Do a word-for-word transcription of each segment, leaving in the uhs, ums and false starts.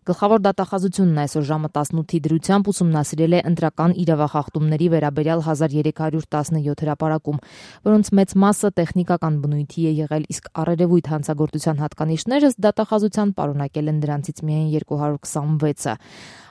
Գլխավոր դատախազությունն այսօր ժամը տասնութի դրությամբ ուսումնասիրել է ընտրական իրավախախտումների վերաբերյալ հազար երեք հարյուր տասնյոթ հրապարակում, որոնց մեծ մասը տեխնիկական բնույթի է եղել, իսկ առերևույթ հանցագործության հատկանիշները դատախազության պարունակել են դրանցից միայն երկու հարյուր քսանվեցը։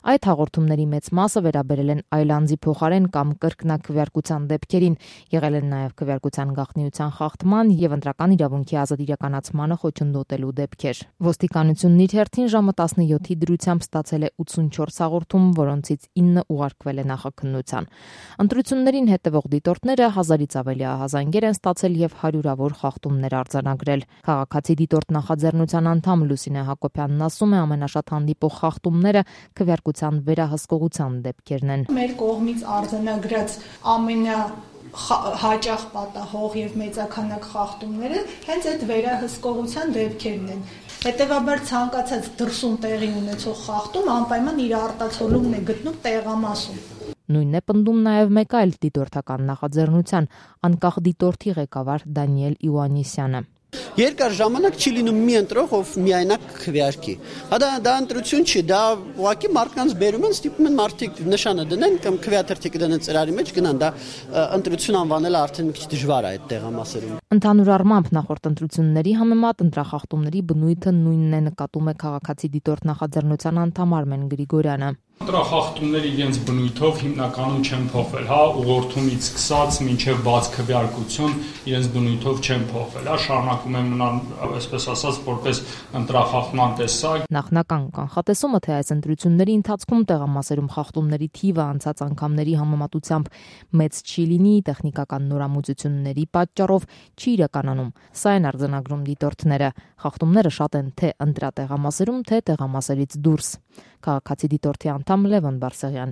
Այդ հաղորդումների մեծ մասը վերաբերել են այլանձի փոխարեն կամ կրկնակվյարկության դեպքերին, եղել են նաև քվյարկության գաղտնիության խախտման եւ ընտրական իրավունքի ազատ իրականացմանը խոչընդոտելու դեպքեր։ Ոստիկանությունն իր հերթին ժամը տասնյոթի դրությամբ ստացել է ութսունչորս հաղորդում, որոնցից ինը ուղարկվել է նախաքննության։ Ընտրություններին հետևող դիտորդները հազարից ավելի ահազանգեր են ստացել եւ հարյուրավոր խախտումներ արձանագրել։ Քաղաքացի դիտորդ նախաձեռնության անդամ Լուսինե Հակոբյանն ասում է, ամենաշատ հանդիպող խախտումները քվյարկության վերահսկողության դեպքերն են։ Մեր կողմից արձանագրած ամենա հաճախ պատահող եւ մեծաքանակ խախտումները հենց այդ վերահսկողության դեպքերն են։ Հետևաբար ցանկացած դրսում տեղի ունեցող խախտում անպայման իր արտացոլումն է գտնում տեղամասում։ Նույնն է պնդում նաև մեկ այլ դիտորդական նախաձեռնության անկախ դիտորդի ղեկավար Դանիել Իոաննիսյանը։ Երկար ժամանակ չի լինում մի ընտրող, ով միայնակ քվեարկի։ Հա դա դա ընտրություն չի, դա ուղղակի մարդկանց բերում են, ստիպում են մարդիկ նշանը դնեն կամ քվեաթերթիկը դնեն ծրարի մեջ գնան, դա ընտրություն անվանելը արդեն մի քիչ դժվար է այդ տեղամասերում։ Ընդհանուր առմամբ նախորդ ընտրությունների համեմատ ընտրախախտումների բնույթը նույնն է, նկատում է քաղաքացի դիտորդ նախաձեռնության անդամ Արմեն Գրիգորյանը։ Ընտրախախտումները իրենց բնույթով հիմնականում չեն փոխվել, հա, ուղղորդումից սկսած մինչև բաց քվեարկություն իրենց բնույթով չեն փոխվել, հա, շարունակում են մնալ, այսպես ասած, որպես ընտրախախտման տեսակ։ Նախնական կանխատեսումը, թե այս ընտրությունների ընթացքում տեղամասերում խախտումների թիվը անցած անգամների համեմատությամբ մեծ չի լինի, տեխնիկական նորամուծությունների պատճառով չի իրականանում։ Սա են արձանագրում դիտորդները։ Խախտումները շատ են թե ընտրատեղամասերում, թե տեղամասերից դուրս։ Քաղաքացի դիտորդի անդամ Լևոն Բարսեղյան։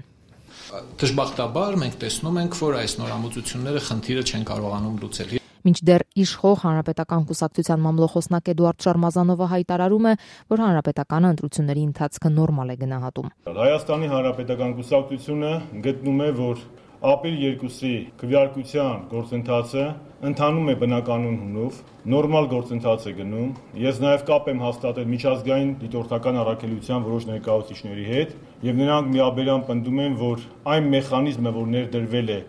Դժբախտաբար մենք տեսնում ենք, որ այս նորամուծությունները խնդիրը չեն կարողանում լուծել։ Մինչդեռ իշխող Հանրապետական կուսակցության մամլոխոսնակ Էդուարդ Շարմազանովը հայտարարում է, որ հանրապետականը ընտրությունների ընթացքը նորմալ է գնահատում։ Հայաստանի Հանրապետական կուսակցությունը գտնում է, որ ապրիլ երկուսի քվեարկության գործընթացը ընթանում է բնականon հունով, նորմալ գործընթաց է գնում։ Ես նաև կապ եմ հաստատել միջազգային դիտորդական առաքելության որոշ ներկայացուցիչների հետ, եւ նրանք միաբերան պնդում են, որ այն մեխանիզմը, որ ներդրվել է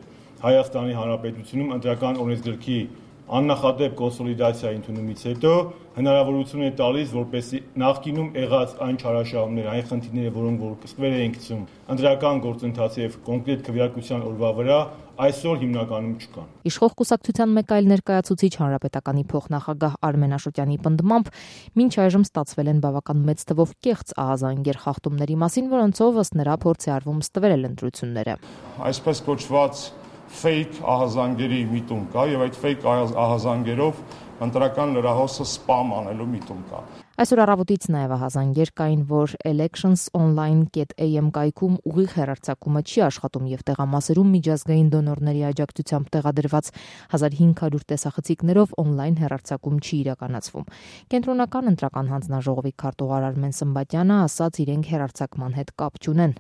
Հայաստանի Հանրապետությունում ընտրական օրենսգրքի աննախադեպ կոնսոլիդացիա ընդունումից հետո հնարավորություն է տալիս, որպեսզի նախկինում եղած այն չարաշահումները, այն խնդիրները, որոնք որ սկսվել էին գցում ընտրական գործընթացի եւ կոնկրետ քվեարկության օրվա վրա, այսօր հիմնականում չկան։ Իշխող կուսակցության մեկ այլ ներկայացուցիչ հանրապետականի փոխնախագահ Արմեն Աշոտյանի պնդմամբ, մինչ այժմ ստացվել են բավական մեծ թվով կեղծ ահազանգեր խախտումների մասին, որոնցով ըստ նրա փորձ է արվում ստվել ընտրությունները։ Այսպես կոչված fake ահազանգերի միտում կա եւ այդ fake ահազանգերով ընտրական լրահոսը spam անելու միտում կա։ Այսօր առավոտից նաև ահազանգեր կային, որ elections online dot a m կայքում ուղիղ հեռարձակումը չի աշխատում եւ տեղամասերում միջազգային դոնորների աջակցությամբ տեղադրված հազար հինգ հարյուր տեսախցիկներով on-line հեռարձակում չի իրականացվում։ Կենտրոնական ընտրական հանձնաժողովի քարտուղար Արմեն Սմբատյանը ասաց, իրենք հեռարձակման հետ կապ չունեն։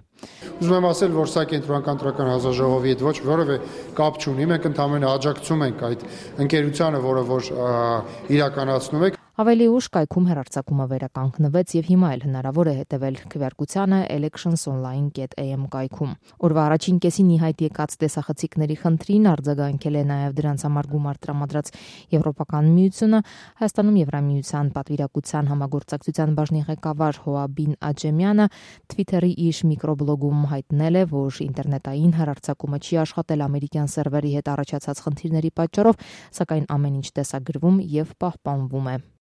Ուզում եմ ասել, որ սա կենտրոնական ընտրական հանձնաժողովի հետ ոչ որևէ կապ չունի, մենք ընդհանրապես աջակցում ենք այդ ընկերությանը, որը որ իրականացնում է։ Ավելի ուշ կայքում հեռարձակումը վերականգնվեց եւ հիմա էլ հնարավոր է հետեւել քվեարկությանը elections online dot a m կայքում։ Օրվա առաջին կեսին ի հայտ եկած տեսախցիկների խնդրին արձագանքել է նաեւ դրանց համար գումար տրամադրած Եվրոպական միությունը, Հայաստանում Եվրամիության պատվիրակության համագործակցության բաժնի ղեկավար Հոաբին Աջեմյանը Twitter-ի իր միկրոբլոգում հայտնել է, որ ինտերնետային հեռարձակումը չի աշխատել ամերիկյան սերվերի հետ առաջացած խնդիրների պատճառով, սակայն ամեն ինչ տեսագրվում եւ պահպանվում է։